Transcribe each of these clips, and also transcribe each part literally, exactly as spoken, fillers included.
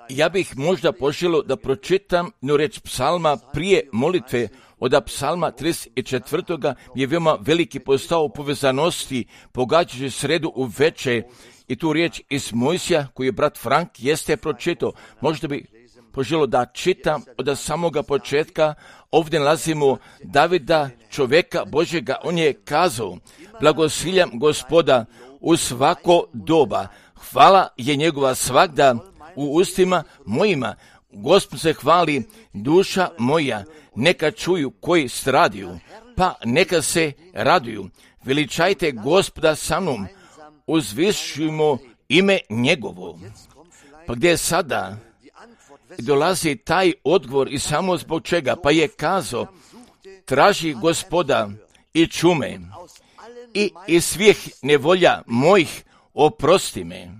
Ja bih možda poželio da pročitam no reč psalma prije molitve. Od psalma trideset četvrtoga je veoma veliki postao povezanosti, pogađajući sredu u veče. I tu riječ iz Mojsija, koju je brat Frank jeste pročitao. Možda bi poželio da čitam od samoga početka. Ovdje nalazimo Davida, čovjeka Božjega. On je kazao: blagosiljam Gospoda u svako doba. Hvala je njegova svagda u ustima mojima. Gospod se hvali, duša moja. Neka čuju koji stradiju, pa neka se raduju. Veličajte Gospoda sa mnom, uzvišujmo ime njegovo. Pa gdje sada dolazi taj odgovor i samo zbog čega? Pa je kazao: traži Gospoda i čume i iz svih nevolja mojih oprosti me.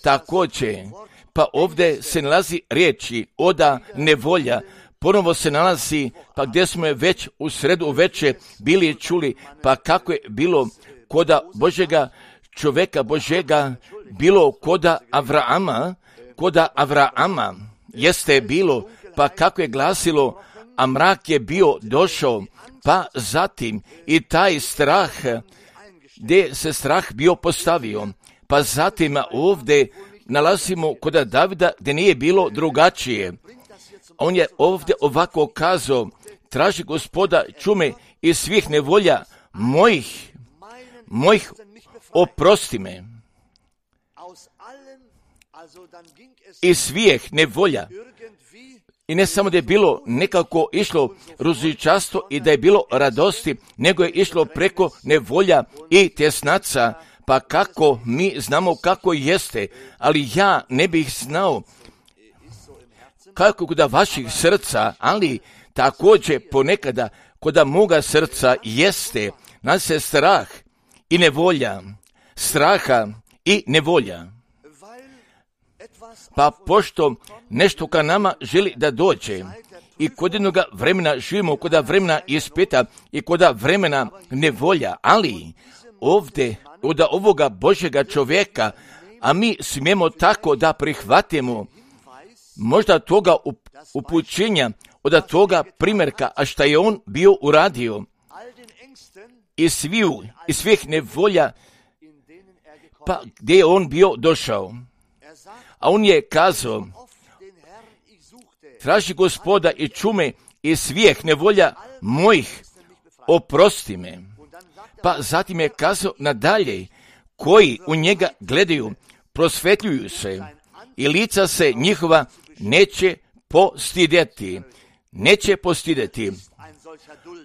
Također, pa ovdje se nalazi riječi oda nevolja, ponovo se nalazi, pa gdje smo je već u sredu uveče bili čuli, pa kako je bilo koda Božega čovjeka Božega, bilo koda Avraama, koda Avraama jeste bilo, pa kako je glasilo, a mrak je bio došao, pa zatim i taj strah, gdje se strah bio postavio, pa zatim ovdje nalazimo koda Davida gdje nije bilo drugačije. On je ovdje ovako kazao: traži Gospoda čume i svih nevolja mojih, mojih oprosti me. I svih nevolja. I ne samo da je bilo nekako išlo ružičasto i da je bilo radosti, nego je išlo preko nevolja i tjesnaca. Pa kako mi znamo kako jeste, ali ja ne bih znao kako kod vaših srca, ali također ponekada kod moga srca jeste, nas se strah i nevolja, straha i nevolja. Pa pošto nešto ka nama želi da dođe i kod jednoga vremena živimo, kod vremena ispita i kod vremena nevolja, ali ovdje od ovoga Božjega čovjeka, a mi smijemo tako da prihvatimo možda toga upućenja, od toga primjerka, a šta je on bio uradio i sviju, i svih nevolja, pa gdje je on bio došao. A on je kazao: traži Gospoda i čume i svih nevolja mojih oprosti me. Pa zatim je kazao nadalje: koji u njega gledaju prosvetljuju se i lica se njihova neće postidjeti. Neće postidjeti.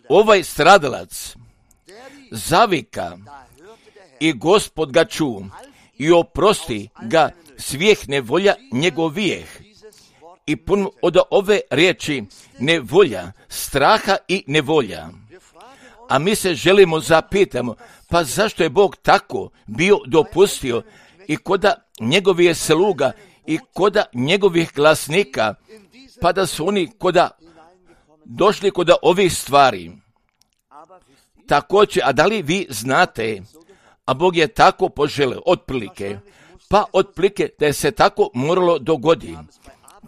Ovaj stradalac zavika i Gospod ga ču i oprosti ga svih nevolja njegovijeh. I pun od ove riječi nevolja, straha i nevolja. A mi se želimo zapitamo, pa zašto je Bog tako bio dopustio i koda njegovih sluga i koda njegovih glasnika, pa da su oni koda došli koda ovih stvari. Također, a da li vi znate, a Bog je tako poželio, otprilike, pa otprilike da je se tako moralo dogoditi.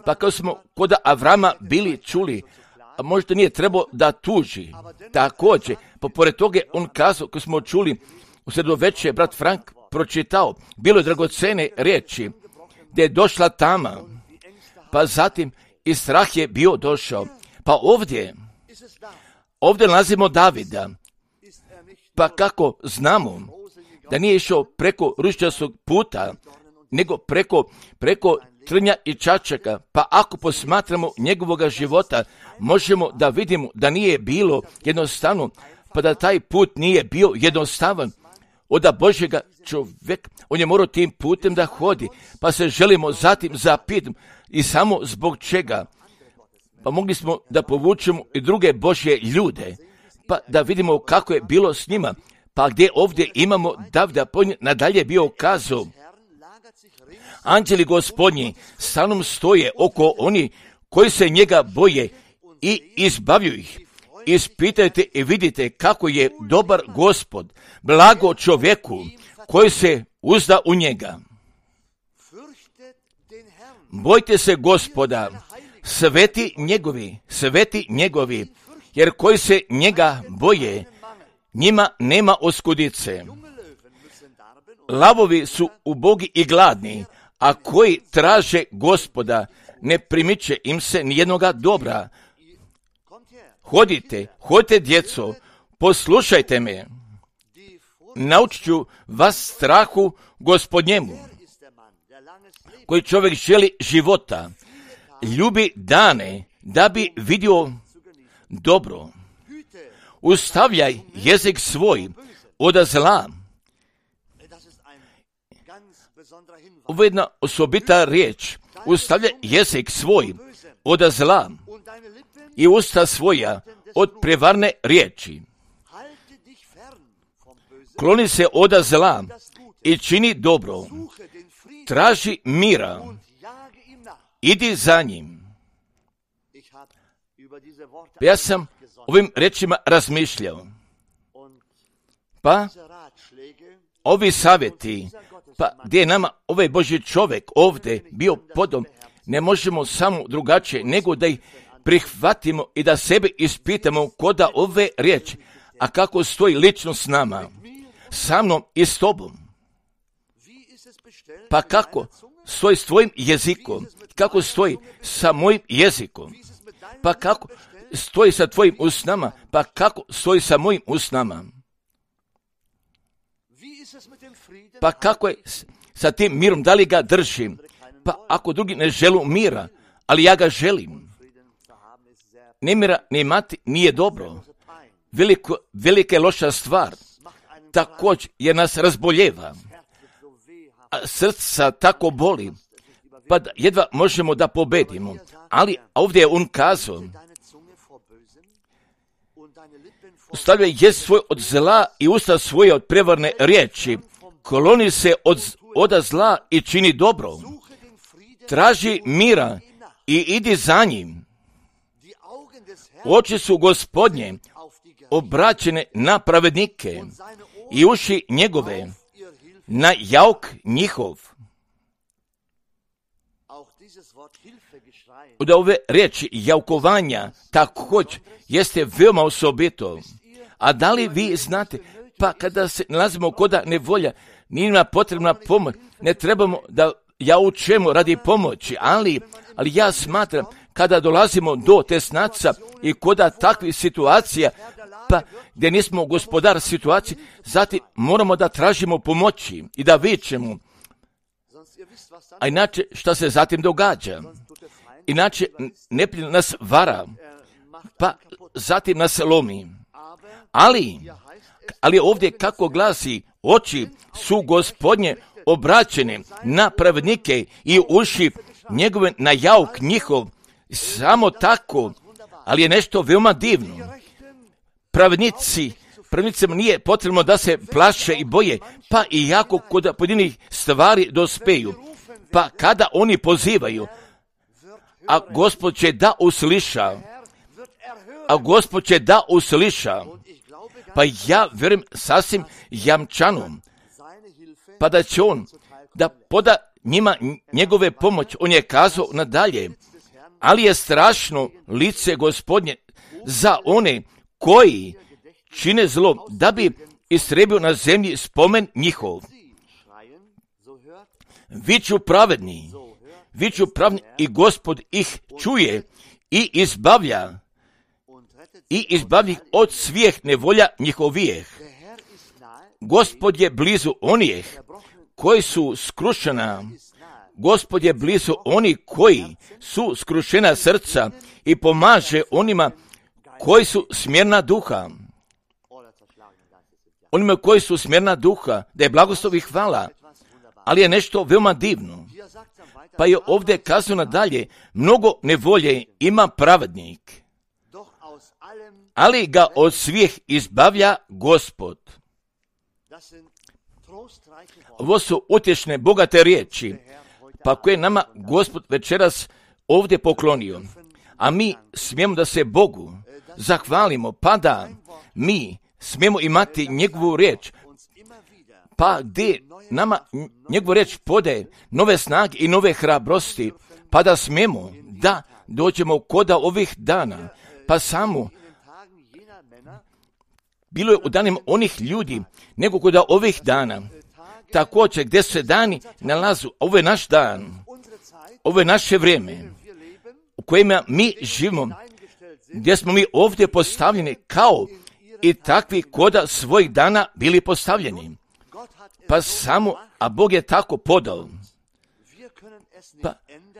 Pa kao smo koda Avrama bili čuli, a možda nije trebao da tuži. Također, pa pored toga on kazao, kao smo čuli, u sredu večer brat Frank pročitao, bilo je dragocene riječi, gdje je došla tama, pa zatim i strah je bio došao. Pa ovdje, ovdje nalazimo Davida, pa kako znamo da nije išao preko ružičastog puta, nego preko, preko trnja i čačaka, pa ako posmatramo njegovoga života, možemo da vidimo da nije bilo jednostavno, pa da taj put nije bio jednostavan. Od Božjega čovjeka, on je morao tim putem da hodi, pa se želimo zatim zapitati i samo zbog čega. Pa mogli smo da povučemo i druge Božje ljude, pa da vidimo kako je bilo s njima, pa gdje ovdje imamo Davida, nadalje bio kazao: anđeli Gospodnji sa mnom stoje oko oni koji se njega boje i izbavljuju ih. Ispitajte i vidite kako je dobar Gospod, blago čovjeku koji se uzda u njega. Bojte se Gospoda, sveti njegovi, sveti njegovi, jer koji se njega boje, njima nema oskudice. Lavovi su ubogi i gladni, a koji traže Gospoda, ne primiče im se nijednoga dobra. Hodite, hodite djeco, poslušajte me, naučit ću vas strahu Gospodnjemu, koji čovjek želi života, ljubi dane, da bi vidio dobro. Ustavljaj jezik svoj od zla. Ovo je jedna osobita riječ. Ustavljaj jezik svoj od zla i usta svoja od prevarne riječi. Kloni se od zla i čini dobro. Traži mira. Idi za njim. Ja sam ovim rečima razmišljao. Pa, ovi savjeti, pa gdje je nama ovaj Božji čovjek ovdje bio podom, ne možemo samo drugačije nego da ih prihvatimo i da sebe ispitamo koda ove riječi, a kako stoji lično s nama, sa mnom i s tobom. Pa kako stoji s tvojim jezikom, kako stoji sa mojim jezikom, pa kako stoji sa tvojim usnama, pa kako stoji sa mojim usnama. Pa kako je sa tim mirom, da li ga držim? Pa ako drugi ne želu mira, ali ja ga želim. Nemira ne imati nije dobro. Veliko, velika je loša stvar. Također je nas razboljeva. A srca tako boli, pa da jedva možemo da pobedimo. Ali ovdje je on kazao, stavljaj jezik svoj od zla i usta svoje od prevarne riječi. Kloni se od, od zla i čini dobro. Traži mira i idi za njim. Oči su Gospodnje obraćene na pravednike i uši njegove na jauk njihov. Od ove riječi jaukovanja također jeste veoma osobito. A da li vi znate, pa kada se nalazimo koda nevolja, nije nam potrebna pomoć, ne trebamo da jaučemo radi pomoći, ali, ali ja smatram kada dolazimo do tesnaca i koda takvih situacija, pa gdje nismo gospodar situacije, zatim moramo da tražimo pomoći i da vičemo. A inače šta se zatim događa? Inače neprijatelj nas vara, pa zatim nas lomi. Ali, ali ovdje kako glasi, oči su Gospodnje obraćene na pravednike i uši njegove na jauk njihov. Samo tako, ali je nešto veoma divno. Pravednici, pravednicima nije potrebno da se plaše i boje, pa i jako kod pojedinih stvari dospeju. Pa kada oni pozivaju, a Gospod će da usliša, a Gospod će da usliša, pa ja vjerujem sasvim jamčanom, pa da će on da poda njima njegove pomoć. On je kazao nadalje, ali je strašno lice Gospodnje za one koji čine zlo, da bi istrebio na zemlji spomen njihov. Viču pravedni, viču pravedni i Gospod ih čuje i izbavlja, i izbavlja ih od svih nevolja njihovijeh. Gospod je blizu onih koji su skrušena, Gospod je blizu oni koji su skrušena srca i pomaže onima koji su smjerna duha. Onima koji su smjerna duha, da je blagoslov i hvala, ali je nešto veoma divno. Pa je ovdje kazano dalje, mnogo nevolje ima pravednik, ali ga od svih izbavlja Gospod. Ovo su utješne, bogate riječi, pa koje nama Gospod večeras ovdje poklonio. A mi smijemo da se Bogu zahvalimo, pa da mi smijemo imati njegovu riječ, pa gdje nama njegovu reč podaje nove snage i nove hrabrosti, pa da smemo da dođemo koda ovih dana, pa samo bilo je u danima onih ljudi, nego koda ovih dana, također gdje se dani nalazu, ovo je naš dan, ovo je naše vrijeme, u kojima mi živimo, gdje smo mi ovdje postavljeni kao i takvi koda svojih dana bili postavljeni. Pa samo, a Bog je tako podao. Pa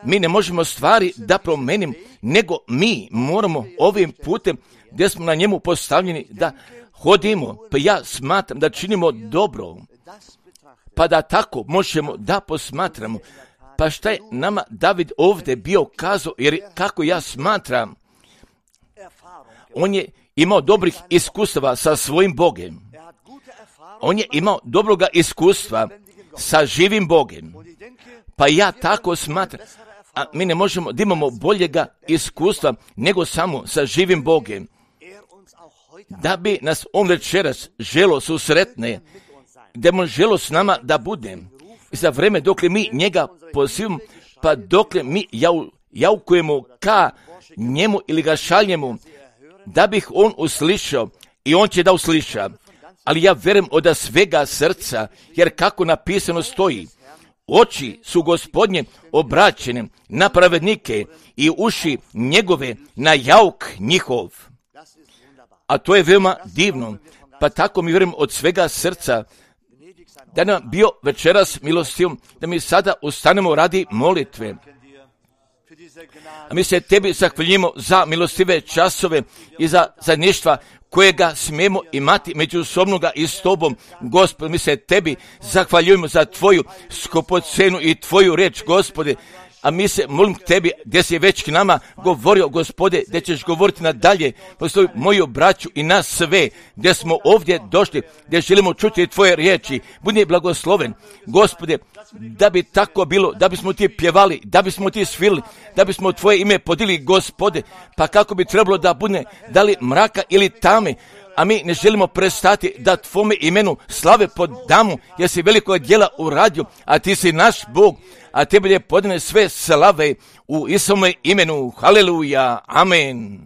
mi ne možemo stvari da promenim, nego mi moramo ovim putem gdje smo na njemu postavljeni da hodimo. Pa ja smatram da činimo dobro, pa da tako možemo da posmatramo. Pa šta je nama David ovdje bio kazao, jer kako ja smatram, on je imao dobrih iskustava sa svojim Bogem. On je imao dobroga iskustva sa živim Bogem. Pa ja tako smatram, a mi ne možemo da imamo boljega iskustva nego samo sa živim Bogem. Da bi nas on večeras želo susretne, da mu želo s nama da bude. I za vreme dokle mi njega pozivamo, pa dokle mi jau, jaukujemo ka njemu ili ga šaljemo, da bih on uslišao i on će da usliša. Ali ja vjerujem od svega srca, jer kako napisano stoji, oči su Gospodnje obraćene na pravednike i uši njegove na jauk njihov. A to je veoma divno, pa tako mi vjerujem od svega srca, da nam bio večeras milostiv, da mi sada ustanemo radi molitve. A mi se tebi zahvaljujemo za milostive časove i za zajedništva kojega smijemo imati međusobnoga i s tobom, Gospod. Mi se tebi zahvaljujemo za tvoju skupocenu i tvoju reč, Gospode. A mi se molim tebi, gdje si već k nama govorio, Gospode, gdje ćeš govoriti nadalje, postoji moju braću i nas sve, gdje smo ovdje došli, gdje želimo čuti tvoje riječi. Budi blagosloven, Gospode, da bi tako bilo, da bismo ti pjevali, da bismo ti svili, da bismo tvoje ime podili, Gospode, pa kako bi trebalo da bude, da li mraka ili tame, a mi ne želimo prestati da tvome imenu slave podamo, jer si veliko djela uradio, a ti si naš Bog, a tebi je podane sve slave u Isome imenu. Haleluja. Amen.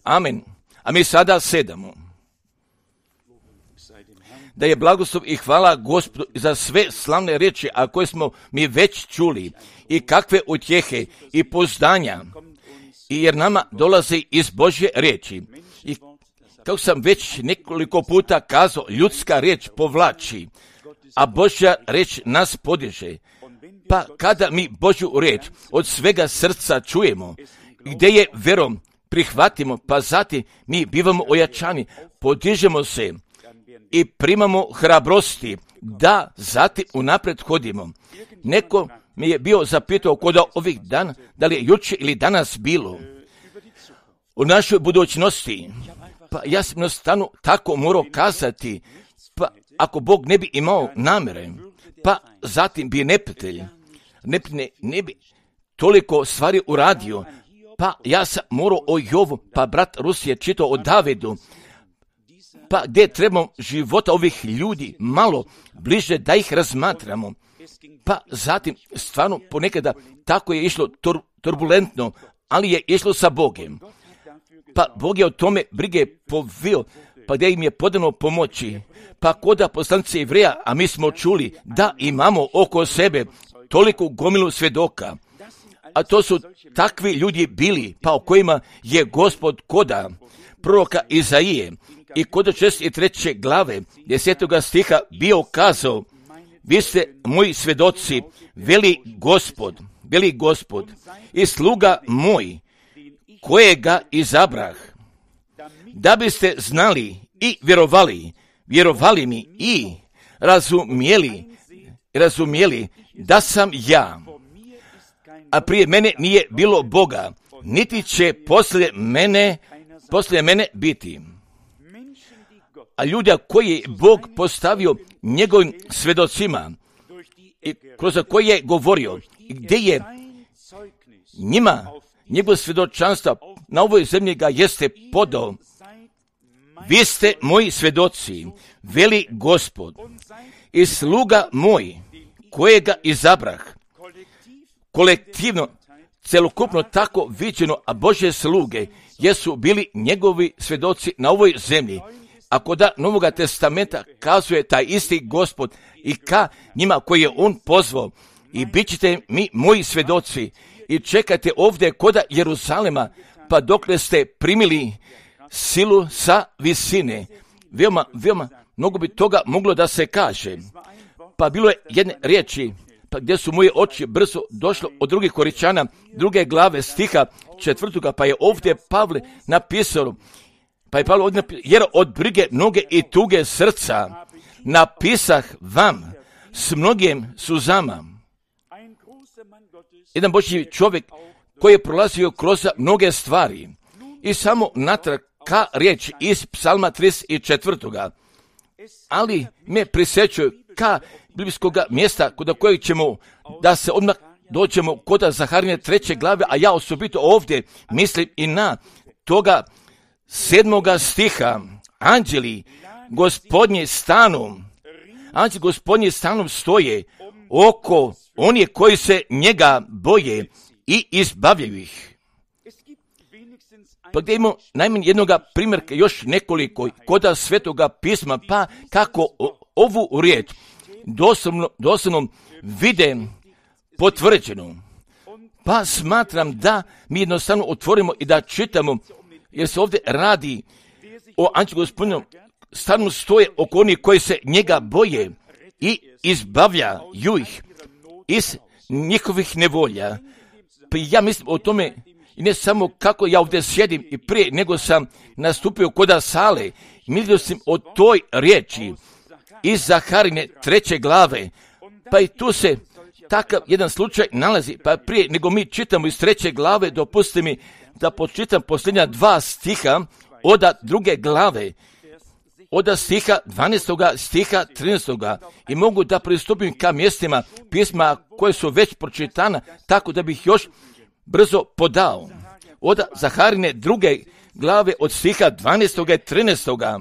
Amen. A mi sada sedamo. Da je blagoslov i hvala Gospodu za sve slavne riječi, a koje smo mi već čuli, i kakve utjehe i pozdanja, i jer nama dolaze iz Božje riječi. I kako sam već nekoliko puta kazao, ljudska riječ povlači, a Božja riječ nas podiže. Pa kada mi Božju riječ od svega srca čujemo, gdje je vjerom prihvatimo, pa zatim mi bivamo ojačani, podižemo se i primamo hrabrosti da zatim unaprijed hodimo. Neko mi je bio zapitao kod ovih dana, da li je jučer ili danas bilo u našoj budućnosti. Pa ja sam jednostavno tako morao kazati, pa ako Bog ne bi imao namjere, pa zatim bi neprijatelj, ne, ne bi toliko stvari uradio, pa ja sam morao o Jovu, pa brat Rus je čitao o Davidu, pa gdje trebamo života ovih ljudi malo bliže da ih razmatramo, pa zatim stvarno ponekada tako je išlo tur, turbulentno, ali je išlo sa Bogem. Pa Bog je o tome brige povio, pa gdje im je podano pomoći. Pa koda poslanice Jevreja, a mi smo čuli da imamo oko sebe toliko gomilu svjedoka, a to su takvi ljudi bili, pa o kojima je Gospod koda proroka Izaije i koda šezdeset treće glave desetoga stiha bio kazao, vi ste moji svjedoci, veli Gospod, veli Gospod, i sluga moj, kojega izabrah, da biste znali i vjerovali, vjerovali mi i razumjeli, razumjeli da sam ja, a prije mene nije bilo Boga, niti će poslije mene, poslije mene biti. A ljuda koji je Bog postavio njegovim svjedocima i kroz koje je govorio, gdje je njima njegov svjedočanstvo na ovoj zemlji ga jeste podao, vi ste moji svjedoci, veli Gospod, i sluga moj, kojega izabrah, kolektivno, celokupno tako viđeno, a Božje sluge jesu bili njegovi svjedoci na ovoj zemlji. Ako da Novoga testamenta kazuje taj isti Gospod i ka njima koji je on pozvao, i bit ćete mi moji svjedoci i čekajte ovdje koda Jeruzalema, pa dokle ste primili silu sa visine. Veoma, veoma, mnogo bi toga moglo da se kaže. Pa bilo je jedne riječi, pa gdje su moje oči brzo došlo od drugih Koričana, druge glave stiha četvrtoga, pa je ovdje Pavle napisao, pa je Pavle ovdje napisao, jer od brige noge i tuge srca napisah vam s mnogim suzama. Jedan Božji čovjek koji je prolazio kroz mnoge stvari i samo natrag ka riječ iz Psalma trideset četvrtoga. Ali me prisjećaju ka biblijskoga mjesta kod kojeg ćemo da se odmah dođemo kod Zaharine treće glave, a ja osobito ovdje mislim i na toga sedmoga stiha. Anđeli gospodnji stanu, anđeli gospodnji stanom stoje oko oni koji se njega boje i izbavljaju ih. Pa gdje imamo najmanje jednoga primjerka, još nekoliko koda Svetoga pisma, pa kako ovu riječ doslovno, doslovno vide potvrđenu. Pa smatram da mi jednostavno otvorimo i da čitamo, jer se ovdje radi o anđelu gospodinu, stanu stoje oko onih koji se njega boje i izbavljaju ih iz njihovih nevolja. Pa ja mislim o tome, i ne samo kako ja ovdje sjedim i prije nego sam nastupio koda sale, mislio sam o toj riječi iz Zaharine treće glave, pa i tu se takav jedan slučaj nalazi, pa prije nego mi čitamo iz treće glave, dopustite mi da počitam posljednja dva stiha oda druge glave, oda stiha dvanaestoga, stiha trinaestoga, i mogu da pristupim ka mjestima pisma koje su već pročitana, tako da bih još brzo podao. Oda Zaharine druge glave od stiha dvanaestoga i trinaestoga.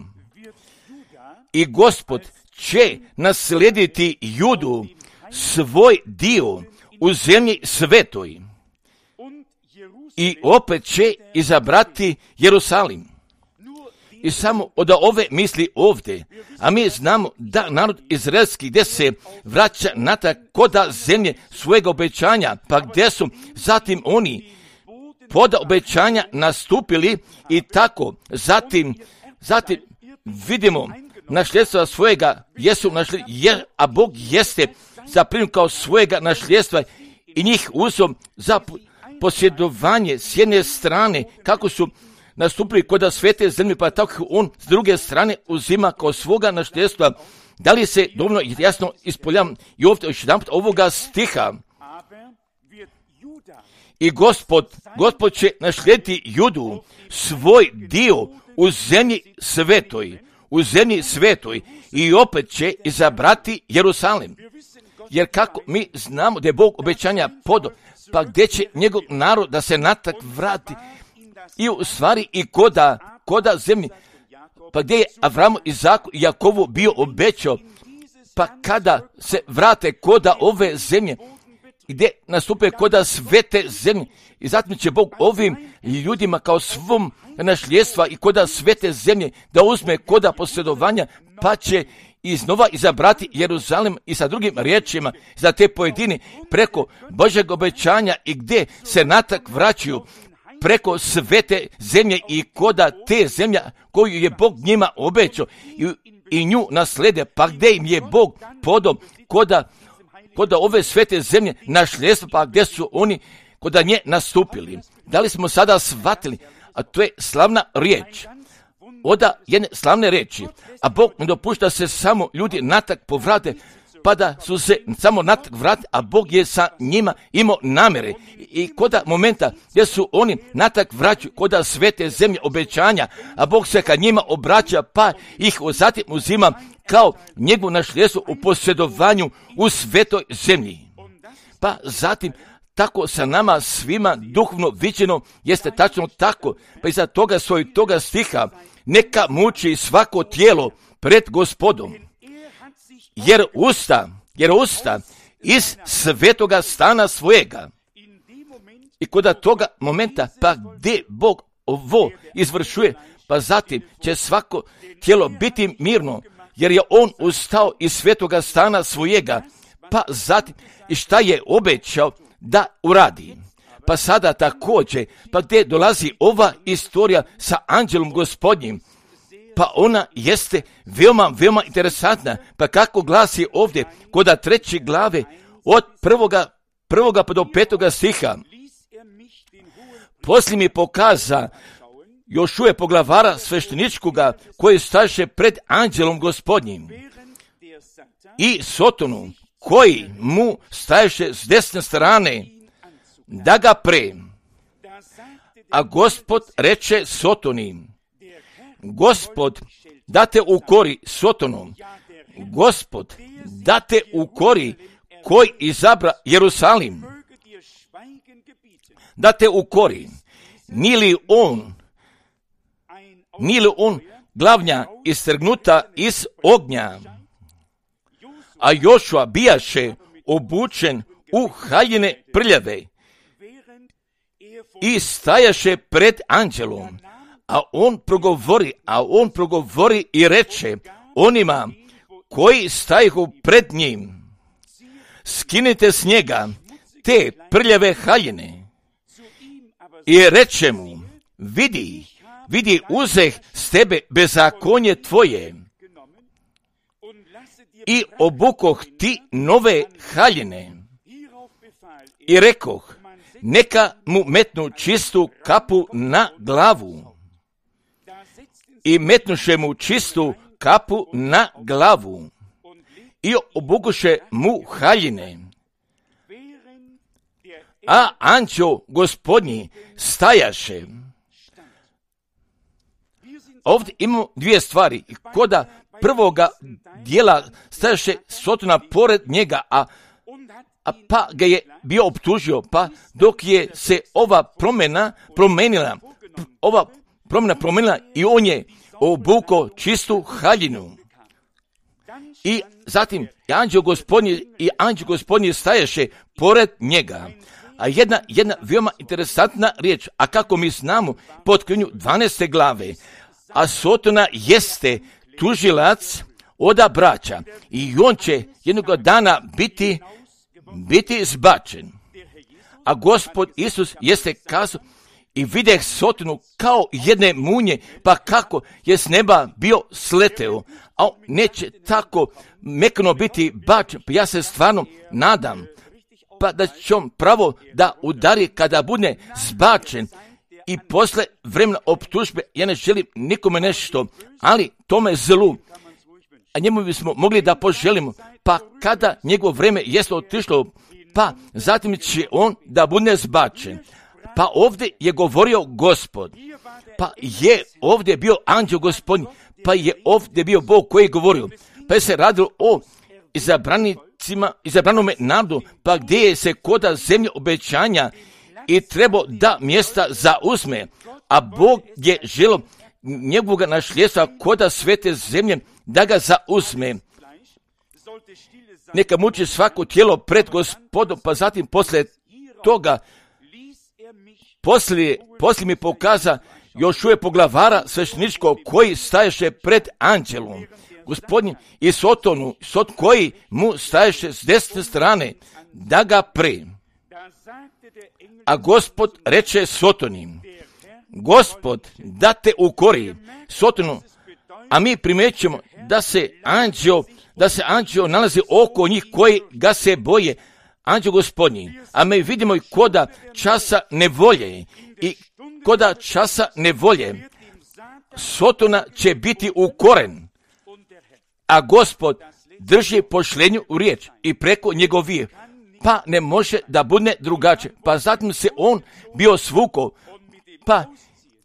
I Gospod će naslijediti Judu, svoj dio u zemlji svetoj, i opet će izabrati Jerusalim. I samo od ove misli ovdje, a mi znamo da narod izraelski gdje se vraća natrag koda zemlje svojega obećanja, pa gdje su zatim oni poda obećanja nastupili i tako zatim, zatim vidimo nasljedstva svojega jesu našli, jer, a Bog jeste zaprimio kao svojega nasljedstva i njih uzeo za posjedovanje s jedne strane, kako su nastupili kod svete zemlje, pa tako on s druge strane uzima kao svoga nasljedstva. Da li se dovoljno jasno ispoljam i ovdje još jedan put ovoga stiha? I Gospod, Gospod će naslijediti Judu, svoj dio u zemlji svetoj, u zemlji svetoj, i opet će izabrati Jerusalim. Jer kako mi znamo da je Bog obećanja podo, pa gdje će njegov narod da se natak vrati, i u stvari i koda, koda zemlji, pa gdje je Avramu, Izaku i Jakovu bio obećao, pa kada se vrate koda ove zemlje, gdje nastupe koda svete zemlje, i zatim će Bog ovim ljudima kao svom nasljedstva i koda svete zemlje da uzme koda posjedovanja, pa će iznova izabrati Jeruzalem, i sa drugim riječima za te pojedine preko Božeg obećanja i gdje se natak vraćaju preko svete zemlje i koda te zemlja koju je Bog njima obećao i, i nju naslede, pa gdje im je Bog podao koda, koda ove svete zemlje nasljedstvo, pa gdje su oni koda nje nastupili. Da li smo sada shvatili? A to je slavna riječ. Oda jedne slavne riječi, a Bog ne dopušta se samo ljudi natak povrate, pa da su se samo natak vrati, a Bog je sa njima imao namjere. I koda momenta gdje su oni natak vraćaju koda svete zemlje obećanja, a Bog se ka njima obraća, pa ih zatim uzima kao njegovo nasljedstvo u posjedovanju u svetoj zemlji. Pa zatim tako sa nama svima duhovno viđeno jeste tačno tako, pa iza toga svoj toga stiha neka muči svako tijelo pred Gospodom, jer usta, jer usta iz svetoga stana svojega. I kod toga momenta, pa gdje Bog ovo izvršuje, pa zatim će svako tijelo biti mirno, jer je on ustao iz svetoga stana svojega, pa zatim i šta je obećao da uradi. Pa sada također, pa gdje dolazi ova istorija sa anđelom Gospodnjim, pa ona jeste veoma, veoma interesantna, pa kako glasi ovdje, kod treće glave, od prvoga, prvoga pa do petoga stiha. Poslije mi pokaza Jošuje poglavara svešteničkoga, koji staše pred anđelom Gospodnjim, i Sotonu, koji mu staješe s desne strane, da ga pre. A Gospod reče Sotoni, Gospod da te ukori Sotonom, Gospod da te ukori koji izabra Jerusalim, da te ukori, nije li on, nije li on glavnja istrgnuta iz ognja, a Jošua bijaše obučen u haljine prljave i stajaše pred anđelom, a on progovori, a on progovori i reče onima koji stajehu pred njim, skinite s njega te prljave haljine. I reče mu, vidi, vidi, uzeh s tebe bezakonje tvoje i obukoh ti nove haljine. I rekoh, neka mu metnu čistu kapu na glavu. I metnuše mu čistu kapu na glavu i obukuše mu haljine. A anđeo Gospodnji stajaše. Ovdje imamo dvije stvari. Koda prvoga dijela stajaše Sotona pored njega, a, a pa ga je bio optužio, pa dok je se ova promjena promenila, ova promjena promenila i on je obukao čistu haljinu. I zatim anđeo Gospodnji i anđeo Gospodnji stajaše pored njega. A jedna, jedna veoma interesantna riječ, a kako mi znamo po otkrivenju dvanaeste glave, a Sotona jeste tužilac oda braća i on će jednog dana biti, biti zbačen. A Gospod Isus jeste kazao, i videh Sotonu kao jedne munje, pa kako je s neba bio sleteo, a on neće tako mekano biti bačen, pa ja se stvarno nadam, pa da će on pravo da udari kada bude zbačen i posle vremena optužbe. Ja ne želim nikome nešto, ali tome zlu, a njemu bismo mogli da poželimo, pa kada njegovo vreme jeste otišlo, pa zatim će on da bude zbačen. Pa ovdje je govorio Gospod, pa je ovdje bio anđeo Gospodnji, pa je ovdje bio Bog koji je govorio, pa je se radilo o izabranicima, izabranome narodu, pa gdje je se koda zemlje obećanja i trebao da mjesta zauzme, a Bog je želio njegovog nasljedstva koda svete zemlje da ga zauzme. Neka muči svako tijelo pred Gospodom, pa zatim poslije toga Poslije, poslije mi pokaza Jošuje poglavara svešteničkog koji staješe pred anđelom Gospodnjim i Sotonu, Sot koji mu staješe s desne strane, da ga pre. A Gospod reče Sotonim, Gospod da te ukori Sotonu, a mi primećujemo da se anđeo, da se anđeo nalazi oko njih koji ga se boje, anđeo Gospodnji, a mi vidimo i koda časa nevolje i koda časa nevolje Sotona će biti ukoren, a Gospod drži pošlenju u riječ i preko njegovije, pa ne može da bude drugačije. Pa zatim se on bio svukao, pa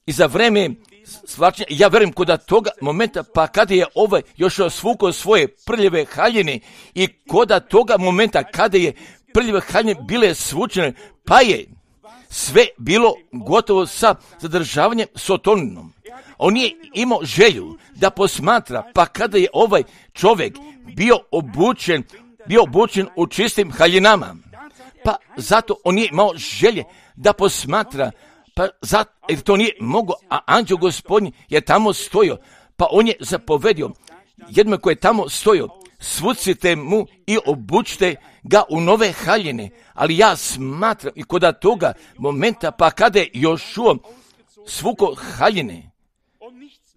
i za vreme svlačenja, ja verujem koda toga momenta, pa kada je ovaj još svukao svoje prljave haljine i koda toga momenta kada je prljave haljine bile svučene, pa je sve bilo gotovo sa zadržavanjem Sotoninom. On je imao želju da posmatra, pa kada je ovaj čovjek bio obučen, bio obučen u čistim haljinama, pa zato on je imao želje da posmatra, pa zato, jer to nije mogao, a anđeo Gospodnji je tamo stojio, pa on je zapovedio jednom koji je tamo stojio, svucite mu i obučite ga u nove haljine. Ali ja smatram i kod toga momenta, pa kada je Jošua svuko haljine,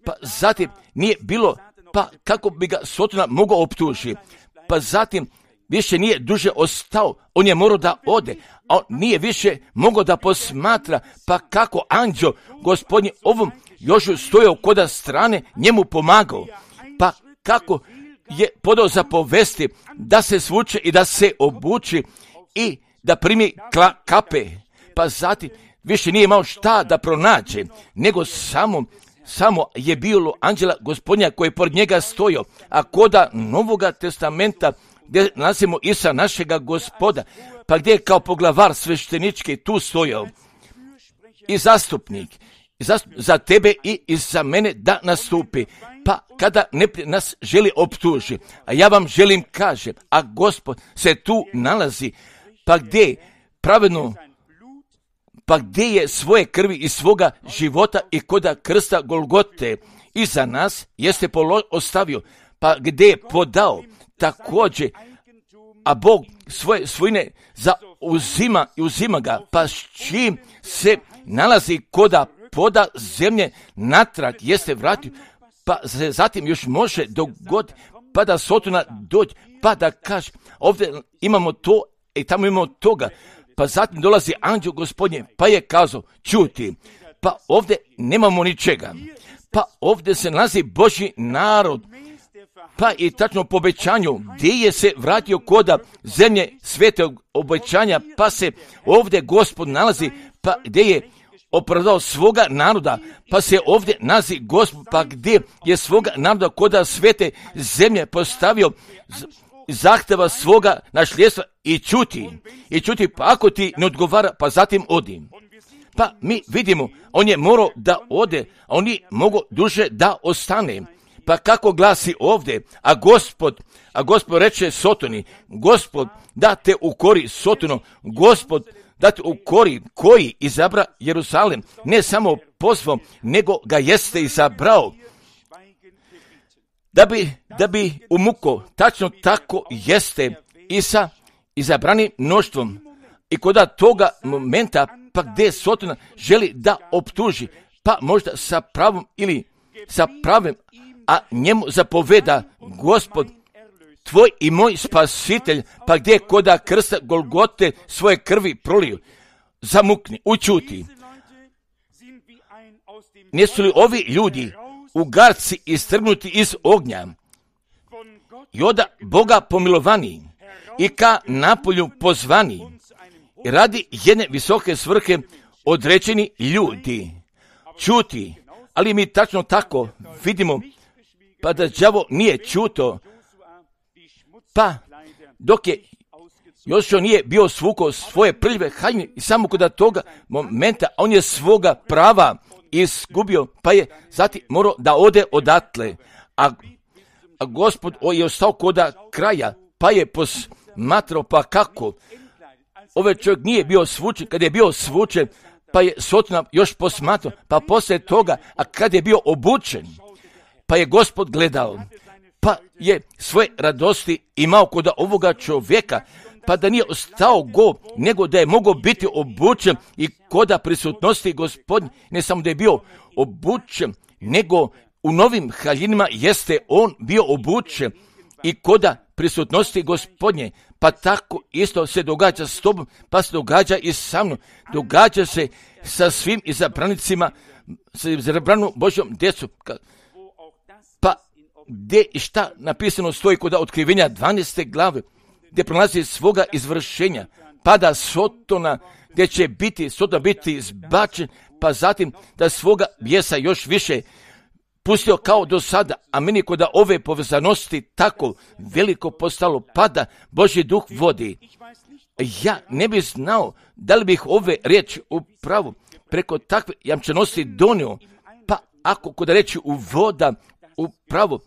pa zatim nije bilo, pa kako bi ga Sotona mogao optužiti, pa zatim više nije duže ostao, on je morao da ode, a on nije više mogao da posmatra, pa kako anđeo Gospodnji ovom Jošu stojao kod strane, njemu pomagao, pa kako je podao zapovesti da se svuče i da se obuči i da primi kla, kape, pa zatim više nije imao šta da pronađe, nego samo, samo je bilo anđela Gospodnja koji je pored njega stojao, a koda Novoga testamenta gdje nalazimo Isa našega Gospoda, pa gdje je kao poglavar sveštenički tu stojao i zastupnik, i zastup, za tebe i, i za mene da nastupi, pa kada ne nas želi optuži, a ja vam želim kažem, a Gospod se tu nalazi, pa gdje pravedno, pa gdje je svoje krvi i svoga života i koda krsta Golgote i za nas jeste polo, ostavio, pa gdje je podao također, a Bog svoje svojine zauzima i uzima ga, pa s čim se nalazi koda poda zemlje natrag jeste vratio, pa se zatim još može dogoditi, pa da Sotona dođe, pa da kaže, ovdje imamo to i tamo imamo toga, pa zatim dolazi anđeo Gospodnje, pa je kazao, čuti, pa ovdje nemamo ničega, pa ovdje se nalazi Božji narod, pa i tačno po obećanju, gdje je se vratio koda zemlje svetog obećanja, pa se ovdje Gospod nalazi, pa gdje je opravdao svoga naroda, pa se ovdje nalazi Gospod, pa gdje je svoga naroda koda svete zemlje postavio zahteva svoga nasljedstva i čuti, i čuti, pa ako ti ne odgovara, pa zatim odi. Pa mi vidimo, on je morao da ode, a on je mogao duže da ostane. Pa kako glasi ovdje, a Gospod, a Gospod reče Sotoni, Gospod da te ukori Sotono, Gospod da te ukori koji izabra Jerusalem, ne samo pozvom, nego ga jeste izabrao, da bi, da bi umuko, tačno tako jeste i sa izabranim mnoštvom. I kod toga momenta, pa gdje Sotona želi da optuži, pa možda sa pravom ili sa pravim, a njemu zapoveda Gospod, tvoj i moj spasitelj, pa gdje koda krsta Golgote svoje krvi prolio, zamukni, učuti. Nisu li ovi ljudi ugarci istrgnuti iz ognja i oda Boga pomilovani i ka napolju pozvani i radi jedne visoke svrhe određeni ljudi? Čuti, ali mi tačno tako vidimo, pa da đavo nije čuto, pa dok je Jošua nije bio svukao svoje prljave haljine i samo kod toga momenta on je svoga prava izgubio, pa je zatim morao da ode odatle, a, a Gospod je ostao koda kraja, pa je posmatrao, pa kako ovaj čovjek nije bio svučen, kad je bio svučen, pa je Sotona još posmatrao, pa poslije toga, a kad je bio obučen, pa je Gospod gledao, pa je svoje radosti imao kod ovoga čovjeka, pa da nije ostao go, nego da je mogao biti obučen i koda prisutnosti Gospodnje, ne samo da je bio obučen, nego u novim haljinima jeste on bio obučen i koda prisutnosti Gospodnje, pa tako isto se događa s tobom, pa se događa i sa mnom, događa se sa svim izabranicima, sa izabranom Božjom djecom. Pa gdje i šta napisano stoji kod otkrivenja dvanaeste glave, gdje prolazi svoga izvršenja, pada Sotona, gdje će biti, Sotona biti izbačen, pa zatim da svoga bijesa još više pustio kao do sada, a meni kod ove povezanosti tako veliko postalo, pada Božji duh vodi. Ja ne bih znao da li bih ove riječi upravo preko takve jamčenosti donio, pa ako kod reći u voda, upravo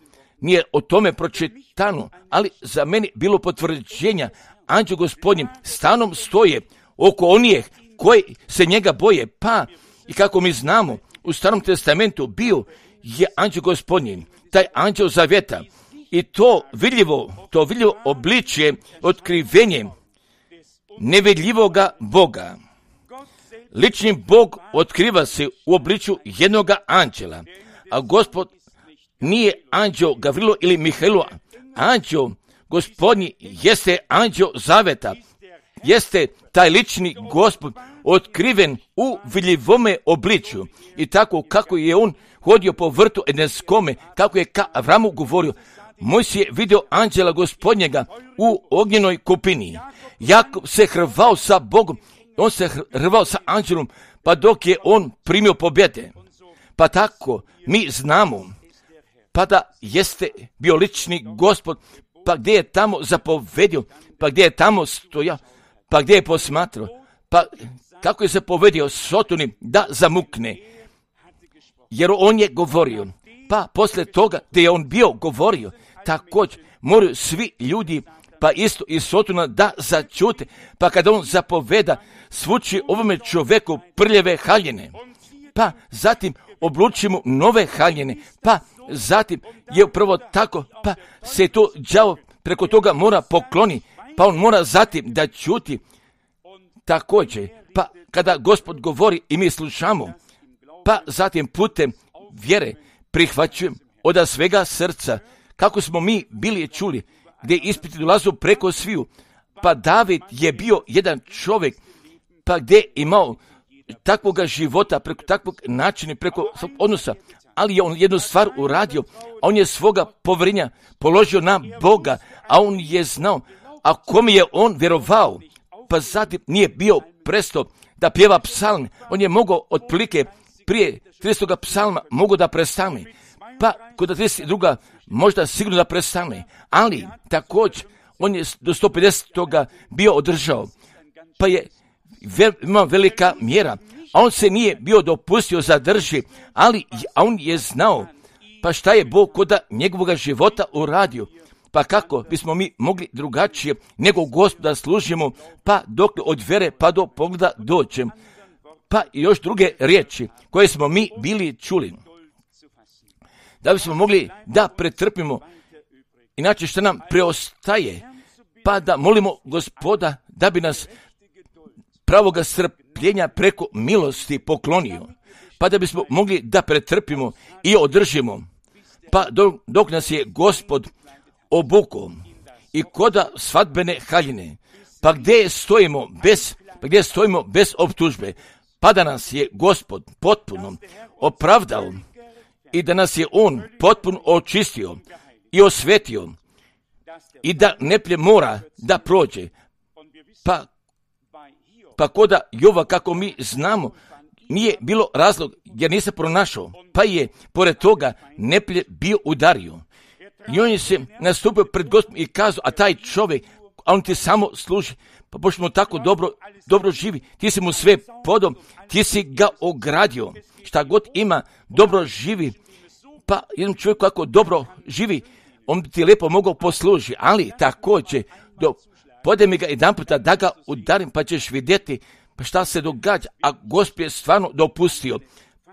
nije o tome pročitano, ali za mene bilo potvrđenja, anđeo Gospodnji stanom stoje oko onih koji se njega boje, pa i kako mi znamo, u Starom testamentu bio je anđeo Gospodnji, taj anđeo zavjeta, i to vidljivo, to vidljivo obličje, otkrivenje nevidljivoga Boga. Lični Bog otkriva se u obličju jednoga anđela, a Gospod nije anđeo Gavrilo ili Mihailo. Anđeo Gospodnji jeste anđeo zaveta, jeste taj lični Gospod otkriven u vidljivome obličju. I tako kako je on hodio po vrtu Edenskome, kako je ka Avramu govorio, Mojsije je vidio anđela Gospodnjega u ognjenoj kupini. Jakov se hrvao sa Bogom, on se hrvao sa anđelom, pa dok je on primio pobjede. Pa tako mi znamo, pa da jeste bio lični Gospod, pa gdje je tamo zapovedio, pa gdje je tamo stojao, pa gdje je posmatrao, pa kako je zapovedio Sotoni da zamukne, jer on je govorio. Pa posle toga gdje je on bio govorio, također moraju svi ljudi, pa isto i Sotona, da začute, pa kada on zapoveda, svuči ovome čoveku prljave haljine, pa zatim obluči mu nove haljine, pa zatim je upravo tako, pa se to đavo preko toga mora pokloni, pa on mora zatim da čuti također, pa kada Gospod govori i mi slušamo, pa zatim putem vjere prihvaćujem od svega srca, kako smo mi bili čuli, gdje ispiti dolazu preko sviju, pa David je bio jedan čovjek, pa gdje je imao takvoga života, preko takvog načina, preko svog odnosa, ali je on jednu stvar uradio, a on je svoga povjerenja položio na Boga, a on je znao, a kome je on vjerovao, pa zatim nije bio presto da pjeva psalm, on je mogao otprilike prije tridesetoga psalma mogu da prestane, pa kod trideset druga možda sigurno da prestane, ali također on je do sto pedesetoga bio održao, pa je vel, ima velika mjera, a on se nije bio dopustio zadrži, ali a on je znao, pa šta je Bog koda njegovog života uradio, pa kako bismo mi mogli drugačije nego Gospoda služimo, pa dok od vjere pa do pogleda dođem, pa i još druge riječi koje smo mi bili čuli, da bismo mogli da pretrpimo, inače što nam preostaje, pa da molimo Gospoda da bi nas pravoga strpljenja preko milosti poklonio, pa da bismo mogli da pretrpimo i održimo, pa dok, dok nas je Gospod obukao i koda svadbene haljine, pa gdje stojimo bez, pa gdje stojimo bez optužbe, pa da nas je Gospod potpuno opravdao i da nas je On potpuno očistio i osvetio i da neplje mora da prođe, pa Pa koda Jova, kako mi znamo, nije bilo razlog jer nije se pronašao, pa je pored toga neplje bio udario. I on je se nastupio pred Gospodom i kazao, a taj čovjek, a on ti samo služi, pa pošto mu tako dobro, dobro živi, ti si mu sve podom, ti si ga ogradio, šta god ima, dobro živi, pa jednom čovjeku kako dobro živi, on bi ti lijepo mogao poslužiti, ali također, do pode mi ga jedan puta da ga udarim, pa ćeš vidjeti pa šta se događa, a Gospod je stvarno dopustio.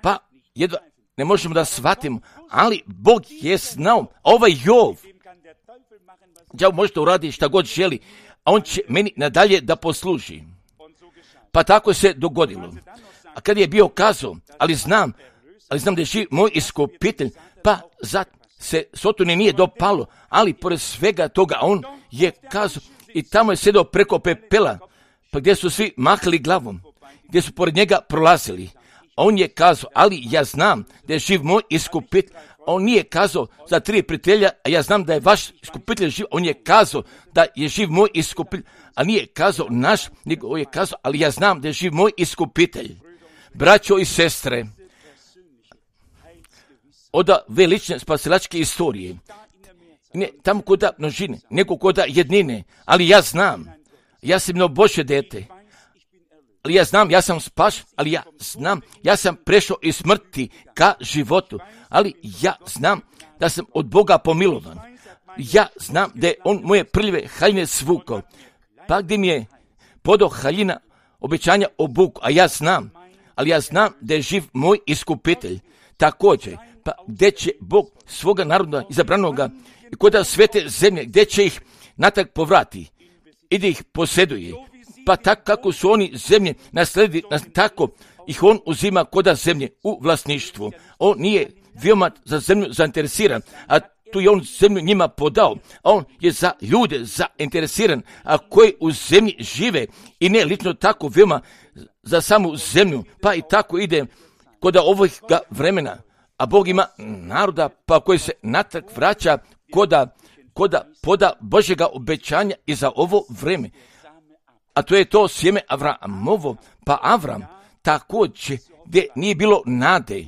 Pa jedva ne možemo da shvatimo, ali Bog je znao, ovaj Jov, ja možete uraditi šta god želi, a on će meni nadalje da posluži. Pa tako se dogodilo. A kad je bio kazao, ali znam, ali znam da je živ moj iskupitelj, pa zat se Sotoni nije dopalo, ali pored svega toga on je kazao, i tamo je sedao preko pepela, pa gdje su svi mahali glavom, gdje su pored njega prolazili. A on je kazao, ali ja znam da je živ moj iskupitelj. A on nije kazao za tri prijatelja, a ja znam da je vaš iskupitelj živ. On je kazao da je živ moj iskupitelj, a nije kazao naš, nego je kazao, ali ja znam da je živ moj iskupitelj. Braćo i sestre, od velične spasilačke istorije, ne tamo koda množine, nego koda jednine, ali ja znam, ja sam no Božje dete, ali ja znam, ja sam spašen, ali ja znam, ja sam prešao iz smrti ka životu, ali ja znam da sam od Boga pomilovan. Ja znam da je on moje prljave haljine svukao, pa gdje mi je podao haljina obećanja o Bogu, a ja znam, ali ja znam da je živ moj iskupitelj. Također, pa gdje će Bog svoga naroda izabranoga i kod svete zemlje, gdje će ih natrag povrati i da ih posjeduje. Pa tako kako su oni zemlje nasledili, tako ih on uzima koda zemlje u vlasništvu. On nije veoma za zemlju zainteresiran, a tu je on zemlju njima podao, a on je za ljude zainteresiran, a koji u zemlji žive i ne lično tako veoma za samu zemlju, pa i tako ide koda ovog vremena, a Bog ima naroda pa koji se natrag vraća koda, koda poda Božjega obećanja i za ovo vreme. A to je to sjeme Avramovo, pa Avram također gdje nije bilo nade,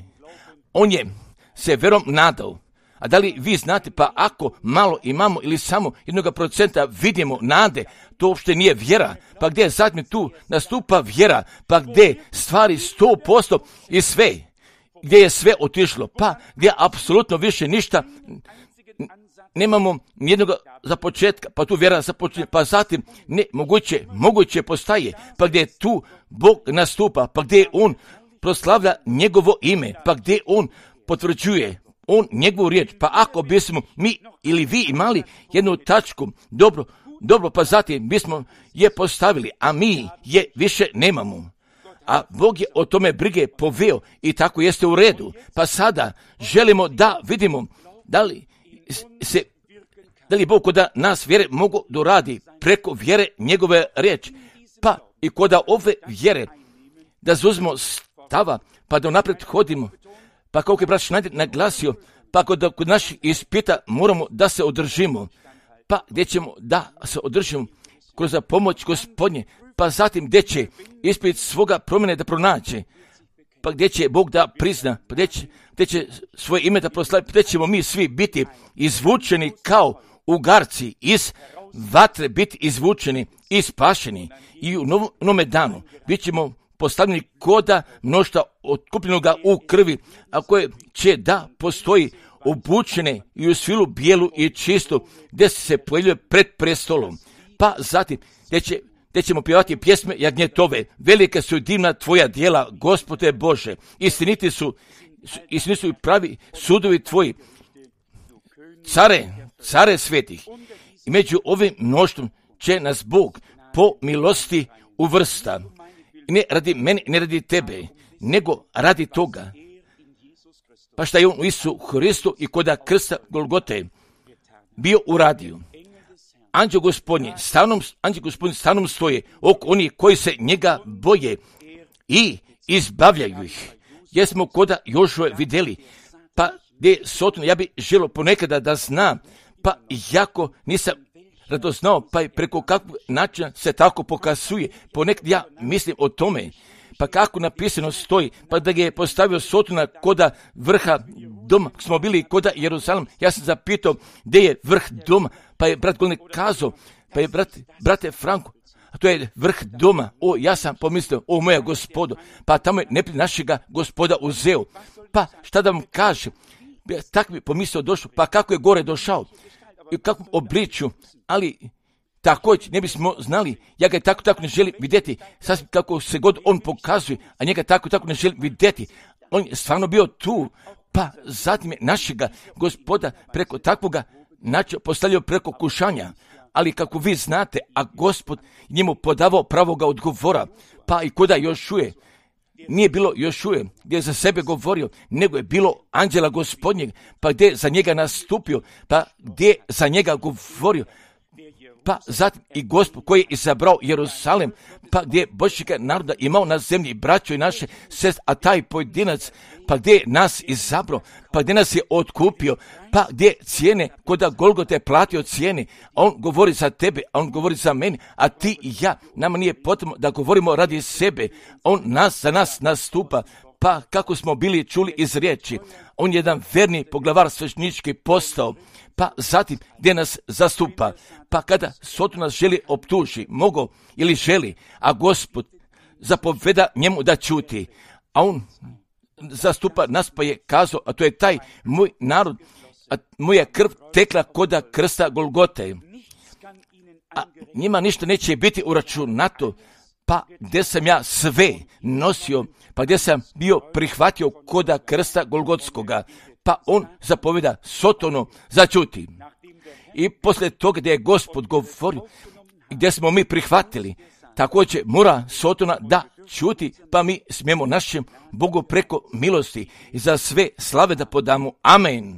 on je se verom nadao. A da li vi znate, pa ako malo imamo ili samo jednog procenta vidimo nade, to uopšte nije vjera. Pa gdje zatim tu nastupa vjera, pa gdje stvari sto posto i sve, gdje je sve otišlo, pa gdje apsolutno više ništa nemamo nijednog za početka, pa tu vjera započinje, pa zatim ne, moguće, moguće postaje, pa gdje tu Bog nastupa, pa gdje on proslavlja njegovo ime, pa gdje on potvrđuje on njegovu riječ. Pa ako bismo mi ili vi imali jednu tačku, dobro, dobro, pa zatim bismo je postavili, a mi je više nemamo. A Bog je o tome brige poveo i tako jeste u redu. Pa sada želimo da vidimo da li se, da li Bog koda nas vjere mogu doradi preko vjere njegove riječi. Pa i koda ove vjere da zauzmemo stava, pa da naprijed hodimo. Pa kako je brat Schneider naglasio, pa kod, kod naših ispita moramo da se održimo. Pa gdje ćemo da se održimo kroz pomoć Gospodnje, pa zatim gdje će ispit svoga promjene da pronaće, pa gdje će Bog da prizna, pa gdje će, gdje će svoje ime da proslavi, pa gdje ćemo mi svi biti izvučeni kao ugarci iz vatre, biti izvučeni i spašeni. I u novome danu bit ćemo postavljeni koda mnoštva otkupljenoga u krvi, a koje će da postoji obučene i u svilu bijelu i čistu, gdje se pojavljuje pred prestolom. Pa zatim, gdje, će, gdje ćemo pjevati pjesme jagnjetove, velike su divna tvoja djela, Gospode Bože, istiniti su, istiniti su i pravi sudovi tvoji, care, care svetih. I među ovim mnoštvom će nas Bog po milosti uvrsta. Ne radi mene, ne radi tebe, nego radi toga. Pa šta je on u Isu Hristu i koda krsta Golgote bio uradio. Anđeo Gospodnji stanom, anđeo Gospodnji stanom stoje oko onih koji se njega boje i izbavljaju ih. Jesmo koda Jošue vidjeli, pa gdje Sotno, ja bi želio ponekada da znam, pa jako nisam radoznao, pa i preko kakvog načina se tako pokazuje. Ponekad ja mislim o tome, pa kako napisano stoji, pa da ga je postavio Sotona koda vrha doma, smo bili koda Jerusalem, ja sam zapitao gdje je vrh doma, pa je brat Golnik kazao, pa je brat, brate Franko, a to je vrh doma. O, ja sam pomislio, o moja Gospodo, pa tamo je neprijatelj našega Gospoda uzeo. Pa šta da vam kažem, tako bi pomislio došao, pa kako je gore došao, i u kakvom obličju, ali također ne bismo znali, ja ga tako tako ne želim vidjeti, sasvim kako se god on pokazuje, a njega tako tako ne želim vidjeti. On je stvarno bio tu, pa zatim je našega Gospoda preko takvoga načina postavljao preko kušanja, ali kako vi znate, a Gospod njemu podavao pravoga odgovora, pa i koda Jošuje, nije bilo Jošuje gdje je za sebe govorio, nego je bilo anđela Gospodnjeg, pa gdje je za njega nastupio, pa gdje je za njega govorio, pa zatim i Gospod koji je izabrao Jerusalem, pa gdje je Božjega naroda imao na zemlji braćo i naše sestre, a taj pojedinac, pa gdje je nas izabrao, pa gdje nas je otkupio, pa gdje cijene, koda Golgote platio cijene, a on govori za tebe, a on govori za mene, a ti i ja, nama nije potrebno da govorimo radi sebe, on nas za nas nastupa, pa kako smo bili čuli iz riječi, on je jedan verni poglavar sveštenički postao, pa zatim gdje nas zastupa, pa kada Sotona nas želi optuži, mogo ili želi, a Gospod zapoveda njemu da čuti, a on zastupa nas pa je kazao, a to je taj moj narod, a moja krv tekla koda krsta Golgote. A njima ništa neće biti uračunato, pa gdje sam ja sve nosio, pa gdje sam bio prihvatio koda krsta Golgotskoga, pa on zapoveda Sotonu začuti. I poslije toga gdje je Gospod govorio, gdje smo mi prihvatili, također mora Sotona da čuti, pa mi smijemo našem Bogu preko milosti i za sve slave da podamo. Amen.